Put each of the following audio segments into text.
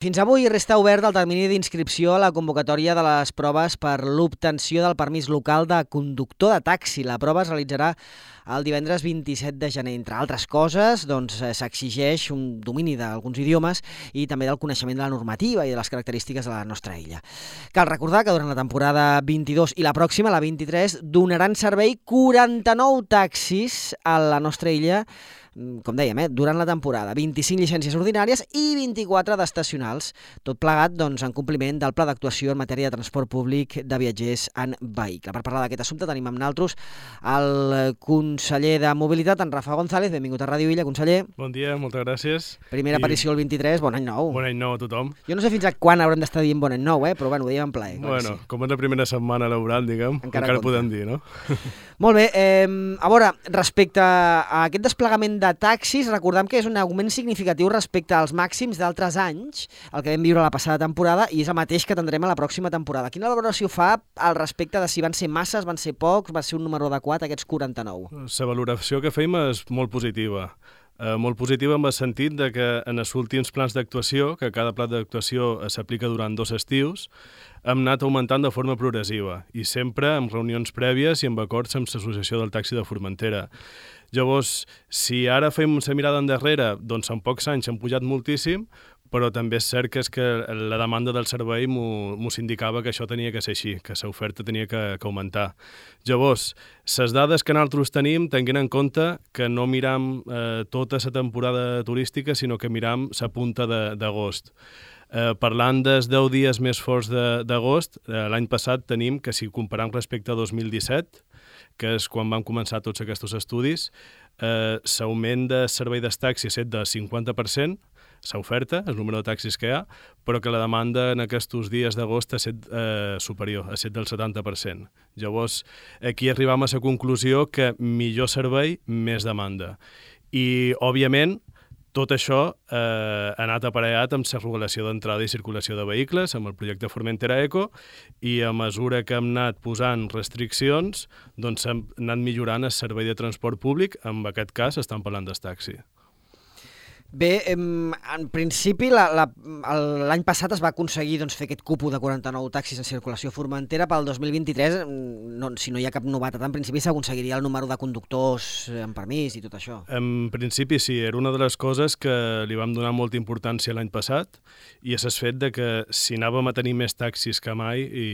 Fins avui resta obert el termini d'inscripció a la convocatòria de les proves per l'obtenció del permís local de conductor de taxi. La prova es realitzarà el divendres 27 de gener. Entre altres coses, s'exigeix un domini d'alguns idiomes i també del coneixement de la normativa i de les característiques de la nostra illa. Cal recordar que durant la temporada 22 i la pròxima, la 23, donaran servei 49 taxis a la nostra illa, com dèiem, durant la temporada, 25 llicències ordinàries i 24 d'estacionals, tot plegat en compliment del pla d'actuació en matèria de transport públic de viatgers en vehicle. Per parlar d'aquest assumpte tenim amb nosaltres el conseller de Mobilitat, en Rafa González. Benvingut a Ràdio Illa, conseller. Bon dia, moltes gràcies. Primera aparició el 23, bon any nou. Bon any nou a tothom. Jo no sé fins a quan haurem d'estar dient bon any nou, però bueno, ho diem en plaer. Bueno, sí. Com és la primera setmana laboral, diguem, encara podem dir, no? Molt bé, a veure, respecte a aquest desplegament de taxis, recordem que és un augment significatiu respecte als màxims d'altres anys, el que vam viure la passada temporada, i és el mateix que tindrem a la pròxima temporada. Quina valoració fa al respecte de si van ser masses, van ser pocs, va ser un número adequat, aquests 49? La valoració que fem és molt positiva. Molt positiva en el sentit de que en els últims plans d'actuació, que cada pla d'actuació s'aplica durant 2 estius, hem anat augmentant de forma progressiva i sempre amb reunions prèvies i amb acords amb l'Associació del Taxi de Formentera. Llavors, si ara fem una mirada endarrere, doncs en pocs anys han pujat moltíssim, però també és cert que la demanda del servei m'ho indicava que això tenia que ser així, que l'oferta tenia que augmentar. Llavors, les dades que nosaltres tenim, tinguin en compte que no miram tota la temporada turística, sinó que miram la punta d'agost. Parlant dels 10 dies més forts d'agost, l'any passat tenim que si comparem respecte a 2017, que és quan van començar tots aquests estudis, l'augment de servei dels taxis és del 50%, l'oferta, el número de taxis que hi ha, però que la demanda en aquests dies d'agost ha estat superior, ha estat del 70%. Llavors, aquí arribam a la conclusió que millor servei, més demanda. I, òbviament, tot això ha anat aparellat amb la regulació d'entrada i circulació de vehicles, amb el projecte Formentera Eco, i a mesura que hem anat posant restriccions, doncs hem anat millorant el servei de transport públic, en aquest cas estan parlant del taxi. Bé, en principi l'any passat es va aconseguir fer aquest cupo de 49 taxis en circulació Formentera. Pel 2023, si no hi ha cap novetat, en principi s'aconseguiria el número de conductors amb permís i tot això. En principi sí, era una de les coses que li vam donar molta importància l'any passat, i és el fet de que si anàvem a tenir més taxis que mai i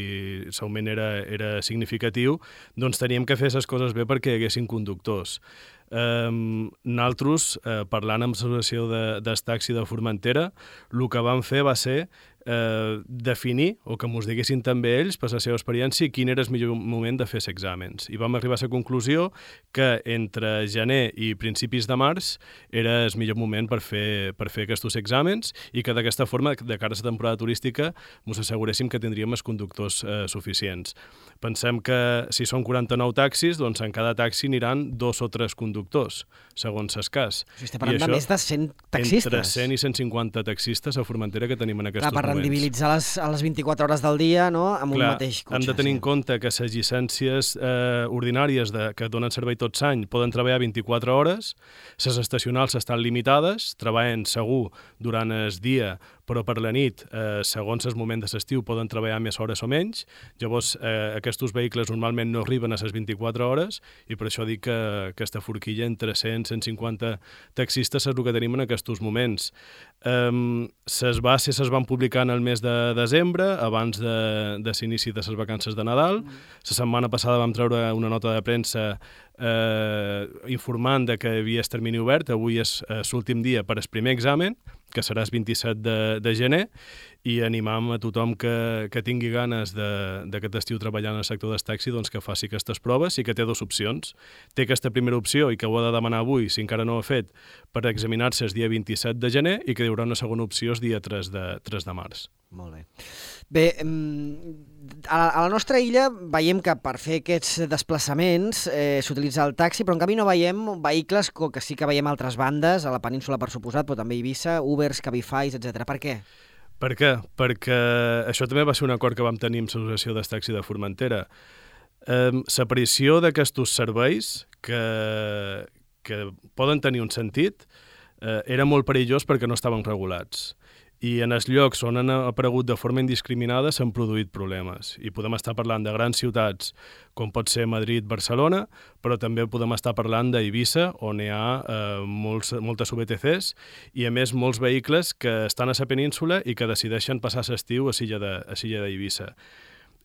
l'augment era significatiu, doncs teníem que fer les coses bé perquè hi haguessin conductors. Nosaltres, parlant amb l'associació del taxi de Formentera, el que vam fer va ser definir, o que mos diguessin també ells, per la seva experiència, quin era el millor moment de fer els exàmens. I vam arribar a la conclusió que entre gener i principis de març era el millor moment per fer aquests exàmens, i que d'aquesta forma, de cara a la temporada turística, ens asseguréssim que tindríem els conductors suficients. Pensem que si són 49 taxis, doncs en cada taxi aniran 2 o 3 conductors, segons el cas. Estem parlant de més de 100 taxistes. Entre 100 i 150 taxistes a Formentera que tenim en aquests moments. Rendibilitzar a les 24 hores del dia, no?, amb un mateix cotxe. Hem de tenir en compte que les llicències ordinàries que donen servei tot l'any poden treballar 24 hores, les estacionals estan limitades, treballen segur durant el dia, però per la nit, segons el moment de l'estiu, poden treballar més hores o menys. Llavors, aquests vehicles normalment no arriben a les 24 hores, i per això dic que aquesta forquilla entre 100 i 150 taxistes és el que tenim en aquests moments. Les bases es van publicar en el mes de desembre, abans de l'inici de les vacances de Nadal. La setmana passada vam treure una nota de premsa informant que hi havia el termini obert. Avui és l'últim dia per al primer examen, que serà el 27 de gener, i animam a tothom que tingui ganes d'aquest estiu treballant en el sector del taxi, doncs que faci aquestes proves, i que té 2 opcions. Té aquesta primera opció, i que ho ha de demanar avui, si encara no ho ha fet, per examinar-se el dia 27 de gener, i que hi haurà una segona opció el dia 3 de març. Molt bé. Bé, a la nostra illa veiem que per fer aquests desplaçaments s'utilitza el taxi, però en canvi no veiem vehicles que sí que veiem a altres bandes, a la península per suposat, però també a Eivissa, Ubers, Cabify, etc. Per què? Per què? Perquè això també va ser un acord que vam tenir amb l'Associació del Taxi de Formentera. L'aparició d'aquests serveis que poden tenir un sentit era molt perillós perquè no estaven regulats. i en els llocs on han aparegut de forma indiscriminada s'han produït problemes. I podem estar parlant de grans ciutats, com pot ser Madrid, Barcelona, però també podem estar parlant d'Eivissa, on hi ha moltes VTCs, i a més molts vehicles que estan a la península i que decideixen passar l'estiu a l'illa d'Eivissa.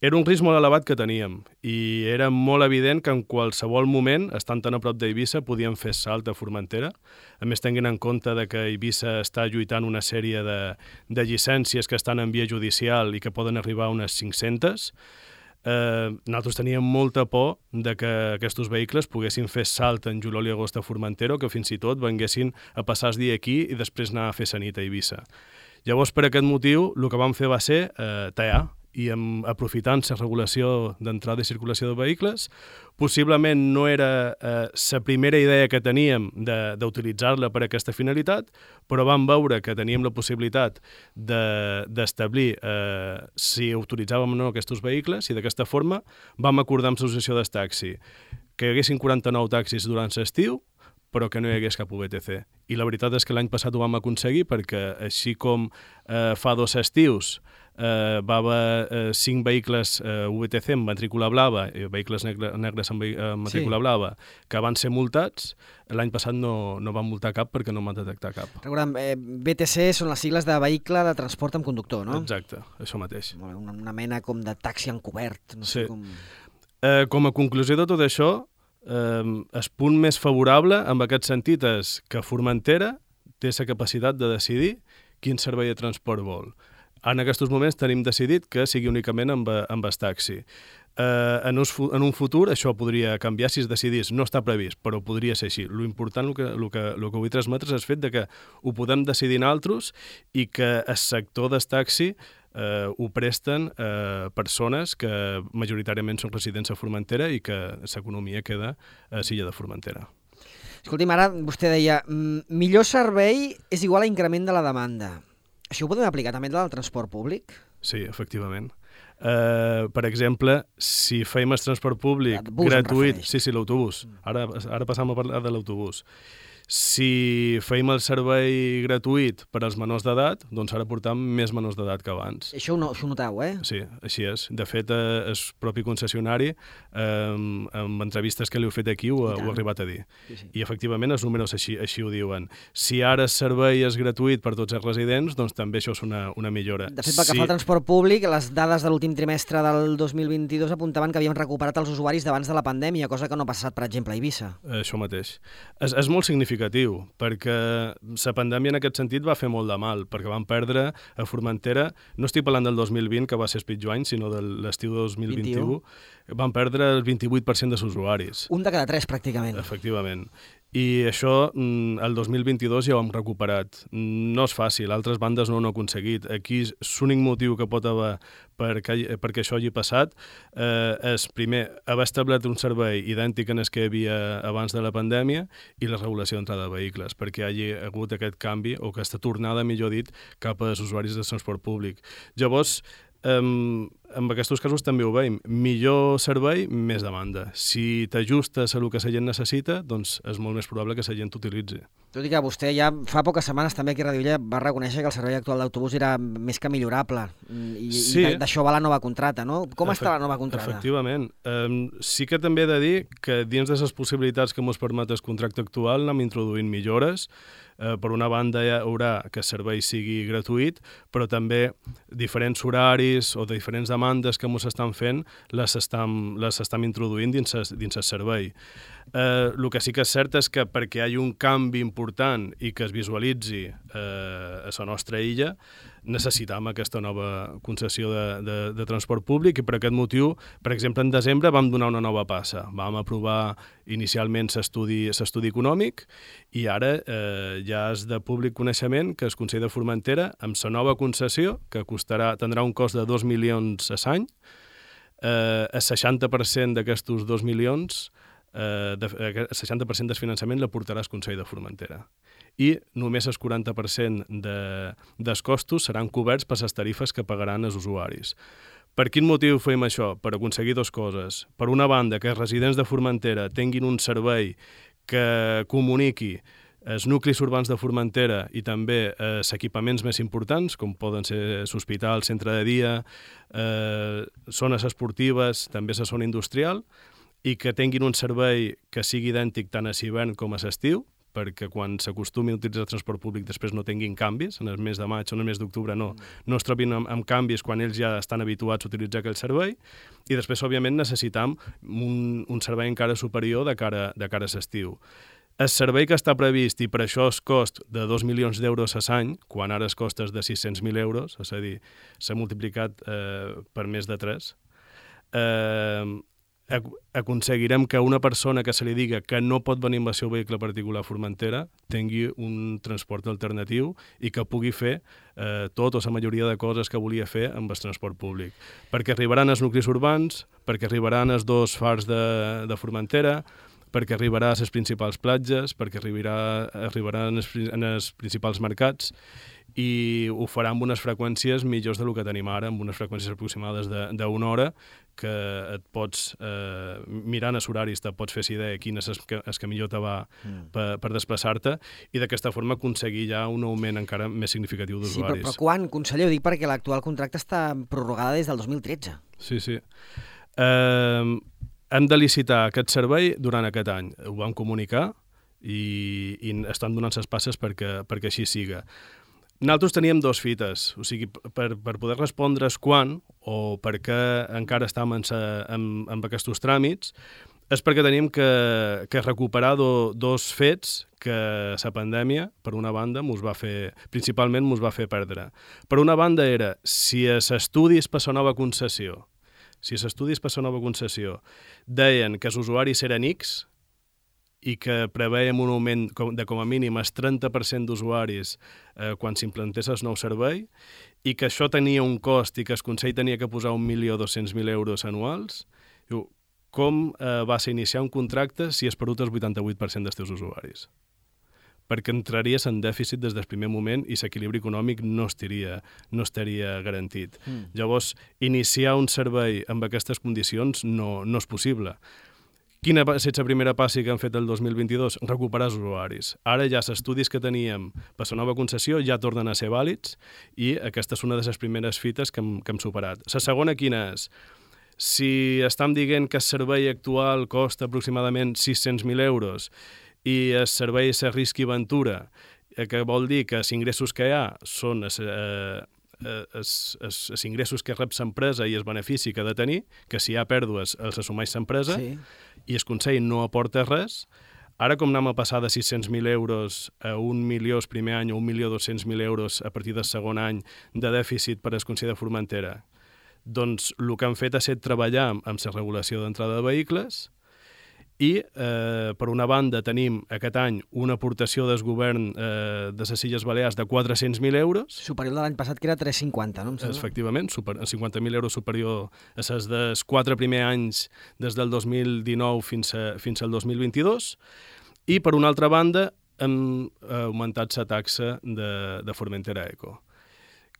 Era un risc molt elevat que teníem i era molt evident que en qualsevol moment, estant tan a prop d'Eivissa, podíem fer salt a Formentera. A més, tenint en compte que Eivissa està lluitant una sèrie de llicències que estan en via judicial i que poden arribar a unes 500, nosaltres teníem molta por de que aquests vehicles poguessin fer salt en juliol i agost a Formentera o que fins i tot venguessin a passar el dia aquí i després anar a fer la nit a Eivissa. Llavors, per aquest motiu, el que vam fer va ser tallar, i aprofitant la regulació d'entrada i circulació de vehicles. Possiblement no era la primera idea que teníem d'utilitzar-la per a aquesta finalitat, però vam veure que teníem la possibilitat d'establir si utilitzàvem o no aquests vehicles i d'aquesta forma vam acordar amb l'associació del taxi que hi haguessin 49 taxis durant l'estiu, però que no hi hagués cap VTC. I la veritat és que l'any passat ho vam aconseguir perquè així com fa 2 estius va haver 5 vehicles VTC amb matrícula blava, vehicles negres amb matrícula blava, que van ser multats. L'any passat no van multar cap perquè no van detectar cap. Recordem, VTC són les sigles de vehicle de transport amb conductor, no? Exacte, això mateix. Una mena com de taxi encobert. No sé com... Com a conclusió de tot això, el punt més favorable en aquest sentit és que Formentera té la capacitat de decidir quin servei de transport vol. En aquests moments tenim decidit que sigui únicament amb el taxi. En un futur això podria canviar si es decidís. No està previst, però podria ser així. L'important, el que vull transmetre és el fet que ho podem decidir nosaltres i que el sector del taxi ho presten persones que majoritàriament són residents a Formentera i que l'economia queda a l'illa de Formentera. Escolti'm, ara vostè deia millor servei és igual a increment de la demanda. Això ho podem aplicar també al transport públic? Sí, efectivament. Per exemple, si fèiem el transport públic gratuït... Sí, l'autobús. Ara passam a parlar de l'autobús. Si fèiem el servei gratuït per als menors d'edat, doncs ara portam més menors d'edat que abans. Això ho noteu, Sí, així és. De fet, el propi concessionari, amb entrevistes que li heu fet aquí, ho ha arribat a dir. Sí. I, efectivament, els números així ho diuen. Si ara el servei és gratuït per tots els residents, doncs també això és una millora. De fet, pel que fa al transport públic, les dades de l'últim trimestre del 2022 apuntaven que havíem recuperat els usuaris d'abans de la pandèmia, cosa que no ha passat, per exemple, a Eivissa. Això mateix. És molt significatiu, perquè la pandèmia en aquest sentit va fer molt de mal, perquè vam perdre a Formentera, no estic parlant del 2020, que va ser el pitjor any, sinó de l'estiu de 2021, van perdre el 28% dels usuaris. Un de cada 3, pràcticament. Efectivament. I això, el 2022 ja ho hem recuperat. No és fàcil, altres bandes no ho han aconseguit. Aquí l'únic motiu que pot haver perquè això hagi passat és, primer, haver establert un servei idèntic en el que hi havia abans de la pandèmia i la regulació d'entrada de vehicles, perquè hi hagi hagut aquest canvi, o aquesta tornada, millor dit, cap als usuaris de transport públic. Llavors, en aquests casos també ho veiem. Millor servei, més demanda. Si t'ajustes a el que la gent necessita, doncs és molt més probable que la gent t'utilitzi. Tot i que vostè ja fa poques setmanes també aquí a Radio Illa va reconèixer que el servei actual d'autobús era més que millorable i d'això va la nova contrata, no? Com està la nova contrata? Efectivament. Sí que també he de dir que dins de les possibilitats que ens permet el contracte actual anem introduint millores. Per una banda hi haurà que el servei sigui gratuït, però també diferents horaris o diferents demandes que ens estan fent les estem introduint dins el servei. El que sí que és cert és que perquè hi hagi un canvi important i que es visualitzi a la nostra illa, necessitam aquesta nova concessió de transport públic i per aquest motiu, per exemple, en desembre vam donar una nova passa. Vam aprovar inicialment l'estudi econòmic i ara ja és de públic coneixement que el Consell de Formentera, amb la nova concessió, que tindrà un cost de 2 milions a l'any, el 60% d'aquests 2 milions, el 60% del finançament l'aportarà el Consell de Formentera. I només el 40% dels costos seran coberts per les tarifes que pagaran els usuaris. Per quin motiu fem això? Per aconseguir dues coses. Per una banda, que els residents de Formentera tinguin un servei que comuniqui els nuclis urbans de Formentera i també els equipaments més importants, com poden ser l'hospital, centre de dia, zones esportives, també la zona industrial, i que tinguin un servei que sigui idèntic tant a l'hivern com a l'estiu, perquè quan s'acostumi a utilitzar el transport públic després no tinguin canvis, en el mes de maig o en el mes d'octubre no es trobin amb canvis quan ells ja estan habituats a utilitzar aquell servei, i després, òbviament, necessitam un servei encara superior de cara a l'estiu. El servei que està previst, i per això el cost de 2 milions d'euros a l'any, quan ara es costa de 600.000 euros, és a dir, s'ha multiplicat per més de 3, aconseguirem que una persona que se li diga que no pot venir amb el seu vehicle particular a Formentera tingui un transport alternatiu i que pugui fer tot o la majoria de coses que volia fer amb el transport públic. Perquè arribaran els nuclis urbans, perquè arribaran els 2 fars de Formentera, perquè arribarà a les principals platges, perquè arribarà en els principals mercats, i ho farà amb unes freqüències millors del que tenim ara, amb unes freqüències aproximades d'una hora, que et pots, mirant els horaris, te pots fer idea quin és el que millor te va per desplaçar-te, i d'aquesta forma aconseguir ja un augment encara més significatiu d'usuaris. Sí, però quan, conseller? Ho dic perquè l'actual contracte està prorrogada des del 2013. Sí. Hem de licitar aquest servei durant aquest any. Ho vam comunicar i estan donant les passes perquè així siga. Nosaltres teníem 2 fites, o sigui, per poder respondre's quan o per què encara estem amb aquests tràmits, és perquè teníem que recuperar 2 fets que la pandèmia, per una banda, principalment mos va fer perdre. Per una banda era, si els estudis per la nova concessió deien que els usuaris eren X, i que preveiem un augment de com a mínim el 30% d'usuaris quan s'implantés el nou servei, i que això tenia un cost i que el Consell tenia que posar 1.200.000 euros anuals, com vas a iniciar un contracte si has perdut el 88% dels teus usuaris? Perquè entraries en dèficit des del primer moment i l'equilibri econòmic no estaria garantit. Llavors, iniciar un servei amb aquestes condicions no és possible. Quina va ser la primera passi que han fet el 2022? Recuperar els usuaris. Ara ja els estudis que teníem per la nova concessió ja tornen a ser vàlids, i aquesta és una de les primeres fites que hem superat. La segona quina és? Si estem dient que el servei actual costa aproximadament 600.000 euros i el servei és risc i ventura, que vol dir que els ingressos que hi ha són els ingressos que rep l'empresa i el benefici que ha de tenir, que si hi ha pèrdues els assumeix l'empresa, sí, i el Consell no aporta res. Ara, com anem a passar de 600.000 euros a 1 milió el primer any o 1.200.000 euros a partir del segon any de dèficit per al Consell de Formentera, doncs el que han fet ha estat treballar amb la regulació d'entrada de vehicles, i, per una banda, tenim aquest any una aportació del govern de les Illes Balears de 400.000 euros. Superior de l'any passat, que era 350, no? Efectivament, 50.000 euros superior a les dels 4 primers anys des del 2019 fins al 2022. I, per una altra banda, hem augmentat la taxa de Formentera Eco.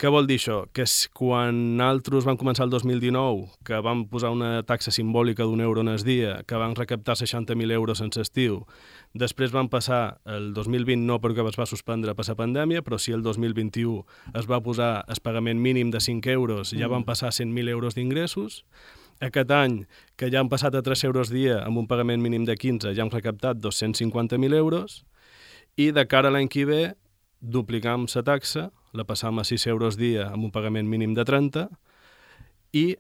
Què vol dir això? Que quan nosaltres vam començar el 2019, que vam posar una taxa simbòlica d'€1 en el dia, que vam recaptar 60.000 euros en l'estiu, després vam passar el 2020, no perquè es va suspendre per la pandèmia, però sí el 2021 es va posar el pagament mínim de 5 euros, ja van passar 100.000 euros d'ingressos. Aquest any, que ja han passat a 3 euros dia amb un pagament mínim de 15, ja hem recaptat 250.000 euros, i de cara a l'any que ve duplicam la taxa, la passam a 6 euros dia amb un pagament mínim de 30, i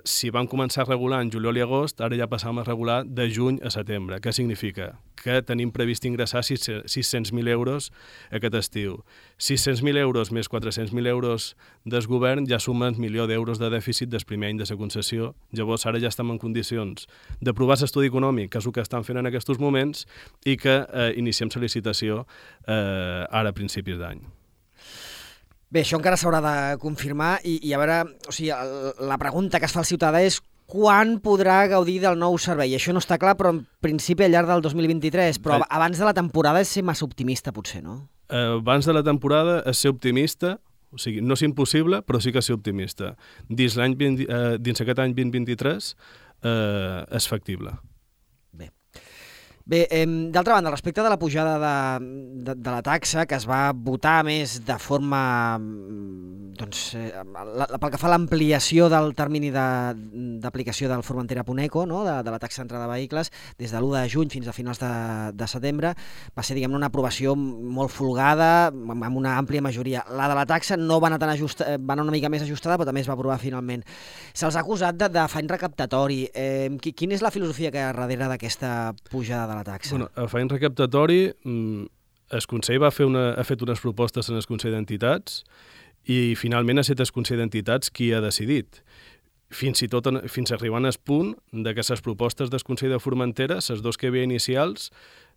si vam començar a regular en juliol i agost, ara ja passam a regular de juny a setembre. Què significa? Que tenim previst ingressar 600.000 euros aquest estiu. 600.000 euros més 400.000 euros del govern ja sumen 1 milió d'euros de dèficit del primer any de la concessió. Llavors ara ja estem en condicions d'aprovar l'estudi econòmic, que és el que estan fent en aquests moments, i que iniciem la licitació ara a principis d'any. Bé, això encara s'haurà de confirmar i a veure, o sigui, la pregunta que es fa al ciutadà és quan podrà gaudir del nou servei. Això no està clar, però en principi al llarg del 2023, però abans de la temporada és ser massa optimista, potser, no? Abans de la temporada és ser optimista, o sigui, no és impossible, però sí que és ser optimista. Dins aquest any 2023 és factible. Bé. Bé, d'altra banda, respecte de la pujada de la taxa, que es va votar més de forma, pel que fa a l'ampliació del termini d'aplicació del Formentera.eco, no? de la taxa d'entrada de vehicles, des de l'1 de juny fins a finals de setembre, va ser, diguem-ne, una aprovació molt folgada, amb una àmplia majoria. La de la taxa no va anar tan ajustada, va anar una mica més ajustada, però també es va aprovar finalment. Se'ls ha acusat d'afany recaptatori. Quina és la filosofia que hi ha darrere d'aquesta pujada de la taxa? Bueno, afany recaptatori, el Consell ha fet unes propostes en el Consell d'Entitats i finalment ha estat el Consell d'Entitats qui ha decidit. Fins arribant al punt de que les propostes del Consell de Formentera, les dos que hi havia inicials,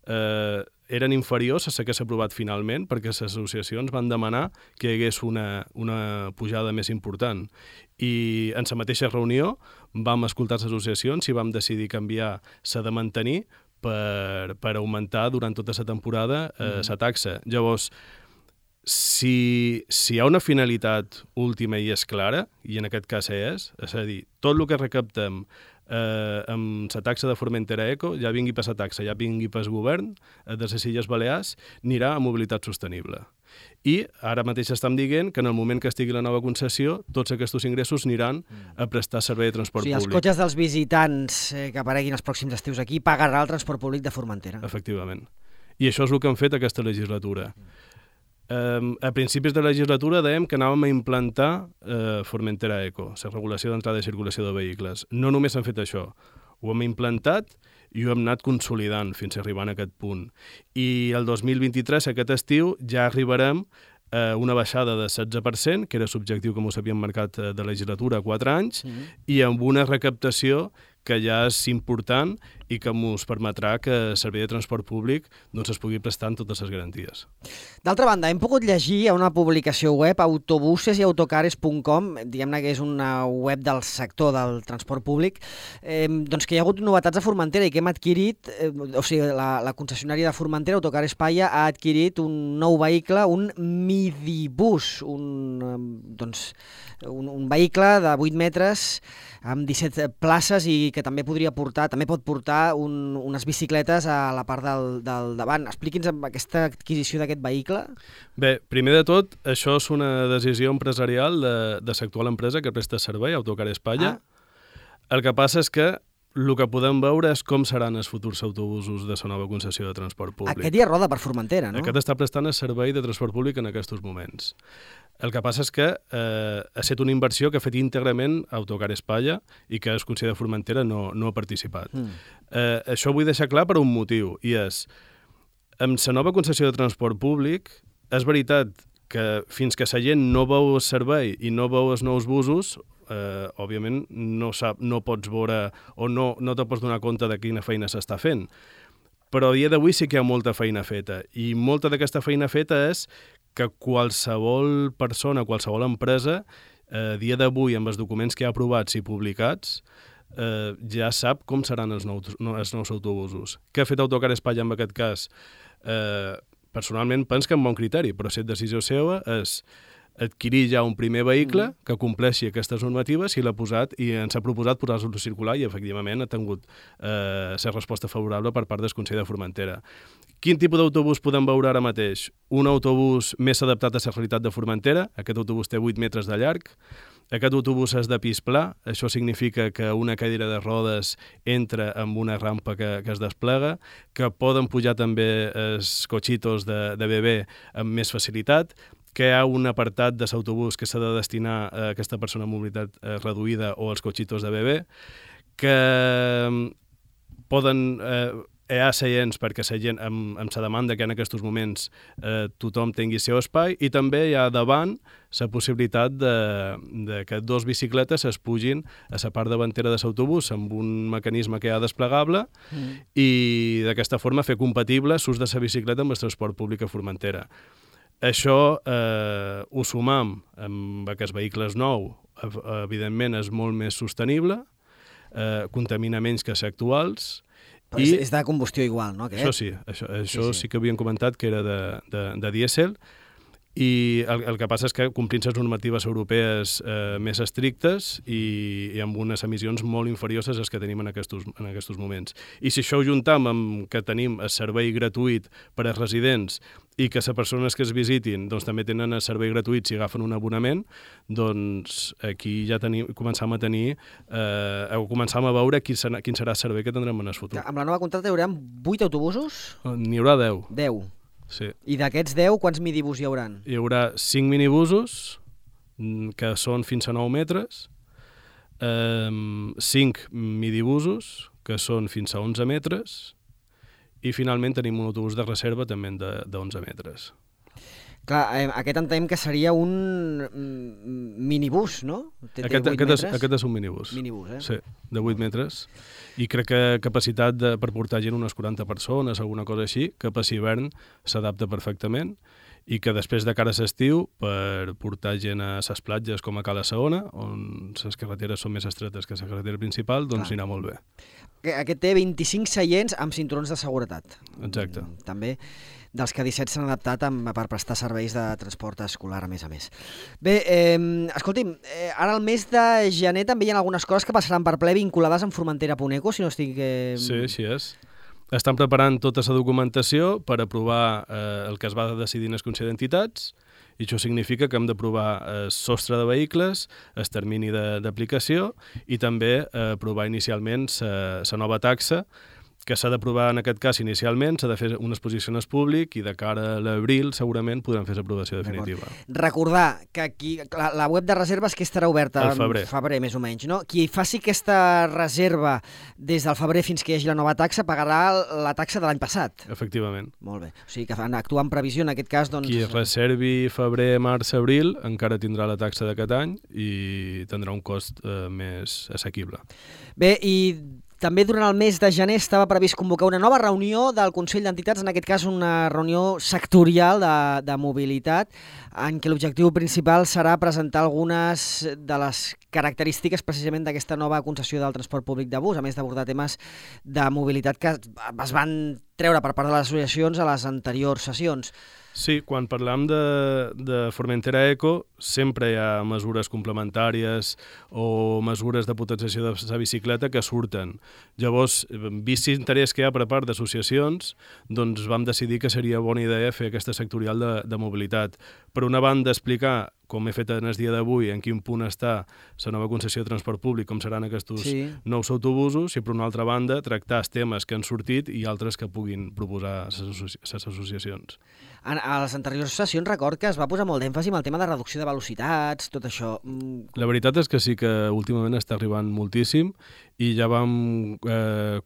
eren inferiors a les que s'ha aprovat finalment, perquè les associacions van demanar que hi hagués una pujada més important. I en la mateixa reunió vam escoltar les associacions i vam decidir canviar la de mantenir per augmentar durant tota la temporada la taxa. Llavors, si hi ha una finalitat última i és clara, i en aquest cas és a dir, tot el que recaptem amb la taxa de Formentera.eco, ja vingui per la taxa, ja vingui pel govern de les Illes Balears, anirà a mobilitat sostenible. I ara mateix estem dient que en el moment que estigui la nova concessió, tots aquests ingressos aniran a prestar servei de transport públic. Els cotxes dels visitants que apareguin els pròxims estius aquí pagarà el transport públic de Formentera. Efectivament. I això és el que han fet aquesta legislatura. A principis de la legislatura dèiem que anàvem a implantar Formentera.eco, la regulació d'entrada i circulació de vehicles. No només han fet això, ho hem implantat i ho hem anat consolidant fins a arribar a aquest punt. I el 2023, aquest estiu, ja arribarem a una baixada de 16%, que era l'objectiu que ens havíem marcat de legislatura a 4 anys, i amb una recaptació que ja és important i que ens permetrà que el servei de transport públic es pugui prestar amb totes les garanties. D'altra banda, hem pogut llegir a una publicació web, autobuses-y-autocares.com, diguem-ne que és una web del sector del transport públic, doncs que hi ha hagut novetats a Formentera i que hem adquirit, o sigui, la concessionària de Formentera, Autocares Palla, ha adquirit un nou vehicle, un midibus, un vehicle de 8 metres amb 17 places i que també pot portar unes bicicletes a la part del davant. Expliqui'ns aquesta adquisició d'aquest vehicle. Bé, primer de tot, això és una decisió empresarial de l'actual empresa que presta servei, Autocares Palla. El que passa és que el que podem veure és com seran els futurs autobusos de la nova concessió de transport públic. Aquest ja roda per Formentera, no? Aquest està prestant el servei de transport públic en aquests moments. El que passa és que ha estat una inversió que ha fet íntegrament Autocares Palla i que el Consell de Formentera no ha participat. Això ho vull deixar clar per un motiu, i és, amb la nova concessió de transport públic, és veritat que fins que la gent no veu el servei i no veu els nous busos, òbviament no pots veure o no te pots donar compte de quina feina s'està fent. Però a dia d'avui sí que hi ha molta feina feta, i molta d'aquesta feina feta és que qualsevol persona, qualsevol empresa, a dia d'avui, amb els documents que ha aprovats i publicats, ja sap com seran els nous autobusos. Què ha fet Autocares Palla en aquest cas? Personalment penso que amb bon criteri, però si la decisió seva és adquirir ja un primer vehicle que compleixi aquestes normatives i ens ha proposat posar-lo a circular i efectivament ha tingut la resposta favorable per part del Consell de Formentera. Quin tipus d'autobús podem veure ara mateix? Un autobús més adaptat a la realitat de Formentera. Aquest autobús té 8 metres de llarg. Aquest autobús és de pis pla. Això significa que una cadira de rodes entra amb una rampa que es desplega, que poden pujar també els cotxitos de bebè amb més facilitat, que hi ha un apartat de l'autobús que s'ha de destinar a aquesta persona amb mobilitat reduïda o als cotxitos de bebè, que poden... hi ha seients perquè la gent, amb la demanda que en aquests moments tothom tingui el seu espai, i també hi ha davant la possibilitat de que dos bicicletes es pugin a la part davantera de l'autobús amb un mecanisme que hi ha desplegable i d'aquesta forma fer compatible l'ús de la bicicleta amb el transport públic a Formentera. Això ho sumam amb aquest vehicle nou, evidentment és molt més sostenible, contamina menys que els actuals. Però és de combustió igual, no? Això sí, això sí que havíem comentat que era de dièsel, i el que passa és que complint les normatives europees més estrictes i amb unes emissions molt inferiors a les que tenim en aquests moments. I si això ho juntam amb que tenim el servei gratuït per als residents i que les persones que es visitin doncs, també tenen el servei gratuït si agafen un abonament, doncs aquí ja començam a veure quin serà el servei que tindrem en el futur. Amb la nova contracta hi haurà 8 autobusos? N'hi haurà 10. 10. Sí. I d'aquests 10, quants midibus hi haurà? Hi haurà 5 minibusos, que són fins a 9 metres, 5 midibusos, que són fins a 11 metres, i finalment tenim un autobús de reserva també de 11 metres. Clar, aquest entenem que seria un minibús, no? Aquest és un minibús. Minibús, Sí, de 8 metres. I crec que capacitat per portar gent unes 40 persones, alguna cosa així, que per hivern s'adapta perfectament i que després de cara a l'estiu, per portar gent a les platges com a Cala Saona, on les carreteres són més estretes que la carretera principal, doncs anirà molt bé. Aquest té 25 seients amb cinturons de seguretat. Exacte. També dels que 17 s'han adaptat per prestar serveis de transport escolar, a més. Bé, escolti'm, ara al mes de gener també hi ha algunes coses que passaran per ple vinculades amb Formentera.eco, si no estic... Sí, així és. Estan preparant tota la documentació per aprovar el que es va decidir en el Consell d'Entitats, i això significa que hem d'aprovar el sostre de vehicles, el termini d'aplicació i també aprovar inicialment la nova taxa, que s'ha d'aprovar en aquest cas inicialment, s'ha de fer una exposició en el públic i de cara a l'abril segurament podran fer l'aprovació definitiva. Recordar que aquí la web de reserves que estarà oberta al febrer més o menys, no? Qui faci aquesta reserva des del febrer fins que hi hagi la nova taxa pagarà la taxa de l'any passat. Efectivament. Molt bé. O sigui que actuar en previsió en aquest cas, doncs... Qui reservi febrer, març, abril encara tindrà la taxa d'aquest any i tindrà un cost més assequible. Bé, i també durant el mes de gener estava previst convocar una nova reunió del Consell d'Entitats, en aquest cas una reunió sectorial de mobilitat, en què l'objectiu principal serà presentar algunes de les característiques precisament d'aquesta nova concessió del transport públic de bus, a més d'abordar temes de mobilitat que es van treure per part de les associacions a les anteriors sessions. Sí, quan parlam de Formentera.eco sempre hi ha mesures complementàries o mesures de potenciació de la bicicleta que surten. Llavors, vist l'interès que hi ha per part d'associacions, doncs vam decidir que seria bona idea fer aquesta sectorial de mobilitat. Per una banda, explicar, com he fet en el dia d'avui, en quin punt està la nova concessió de transport públic, com seran aquests nous autobusos, i per una altra banda, tractar els temes que han sortit i altres que puguin proposar les associacions. A les anteriors sessions record que es va posar molt d'èmfasi amb el tema de reducció de velocitats, tot això. La veritat és que sí que últimament està arribant moltíssim i ja vam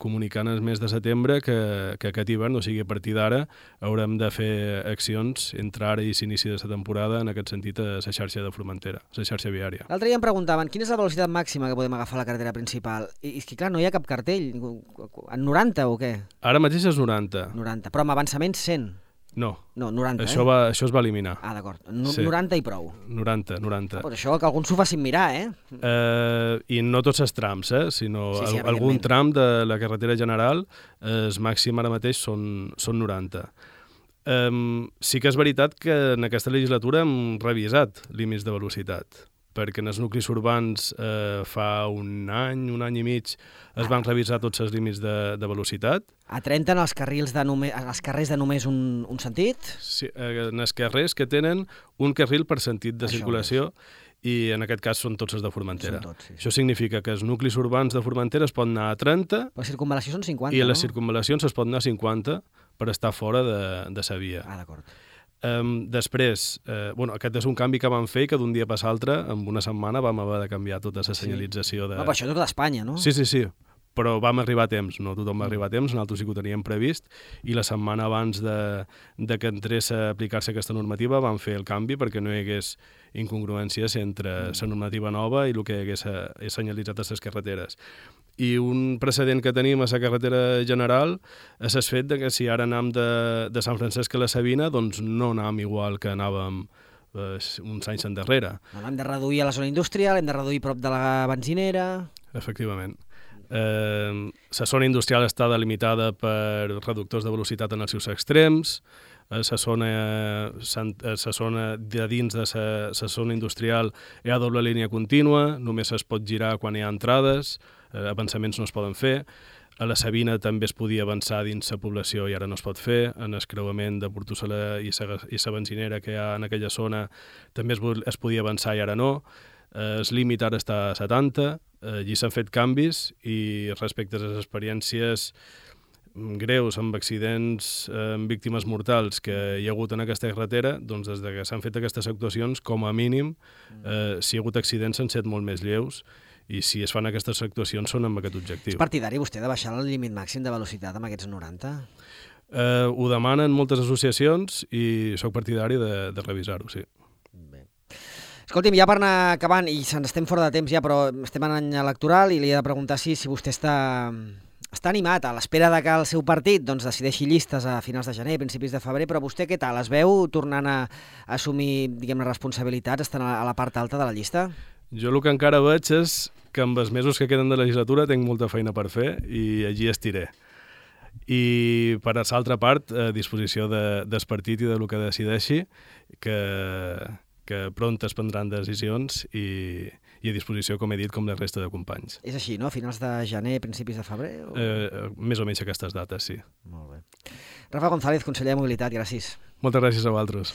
comunicar en el mes de setembre que aquest hivern, o sigui, a partir d'ara, haurem de fer accions entre ara i l'inici de la temporada en aquest sentit a la xarxa de Formentera, la xarxa viària. L'altre dia em preguntaven quina és la velocitat màxima que podem agafar a la carretera principal. I és que, clar, no hi ha cap cartell. En 90 o què? Ara mateix és 90. 90, però amb avançament 100. No. No, 90, això es va eliminar. Ah, d'acord. 90 i prou. 90. Però això que alguns s'ho facin mirar, I no tots els trams, sinó sí, algun tram de la carretera general, el màxim ara mateix són 90. Sí que és veritat que en aquesta legislatura hem revisat límits de velocitat, perquè en els nuclis urbans fa un any i mig es van revisar tots els límits de velocitat. A 30 en els carrers de només un sentit? Sí, en els carrers que tenen un carril per sentit de circulació, i en aquest cas són tots els de Formentera. Sí. Això significa que els nuclis urbans de Formentera es poden anar a 30... La circunvalació són 50, I a les circunvalacions es pot anar a 50 per estar fora de la via. Ah, d'acord. Després, aquest és un canvi que vam fer i que d'un dia per l'altre, en una setmana, vam haver de canviar tota la senyalització. Però això tot d'Espanya, no? Sí, però vam arribar a temps, no tothom va arribar a temps, nosaltres sí que ho teníem previst, i la setmana abans de que entrés a aplicar-se aquesta normativa vam fer el canvi perquè no hi hagués incongruències entre la normativa nova i el que hagués senyalitzat a les carreteres. I un precedent que tenim a la carretera general és el fet que si ara anam de Sant Francesc a la Sabina, doncs no anam igual que anàvem uns anys endarrere. Hem de reduir a la zona industrial, hem de reduir prop de la benzinera... Efectivament. La zona industrial està delimitada per reductors de velocitat en els seus extrems, a la zona de dins de la zona industrial hi ha doble línia contínua, només es pot girar quan hi ha entrades, avançaments no es poden fer. A la Sabina també es podia avançar dins la població i ara no es pot fer. En el creuament de Portossala i la benzinera que hi ha en aquella zona també es podia avançar i ara no. El límit ara està a 70, allí s'han fet canvis i respecte a les experiències greus amb accidents, amb víctimes mortals que hi ha hagut en aquesta carretera, doncs des que s'han fet aquestes actuacions, com a mínim, si hi ha hagut accidents han set molt més lleus i si es fan aquestes actuacions són amb aquest objectiu. És partidari vostè de baixar el límit màxim de velocitat amb aquests 90? Ho demanen moltes associacions i sóc partidari de revisar-ho, sí. Bé. Escolti'm, ja per anar acabant, i se'ns estem fora de temps ja, però estem en any electoral i li he de preguntar si vostè està animat a l'espera de que el seu partit decideixi llistes a finals de gener, principis de febrer, però vostè què tal? Es veu tornant a assumir, diguem-ne, responsabilitats, estant a la part alta de la llista? Jo el que encara veig és que amb els mesos que queden de legislatura tinc molta feina per fer i allí estiré. I per a l'altra part, a disposició del partit i del que decideixi, que pront es prendran decisions i a disposició, com he dit, com la resta de companys. És així, no? A finals de gener, principis de febrer? Més o menys aquestes dates, sí. Molt bé. Rafa González, conseller de Mobilitat, gràcies. Moltes gràcies a vosaltres.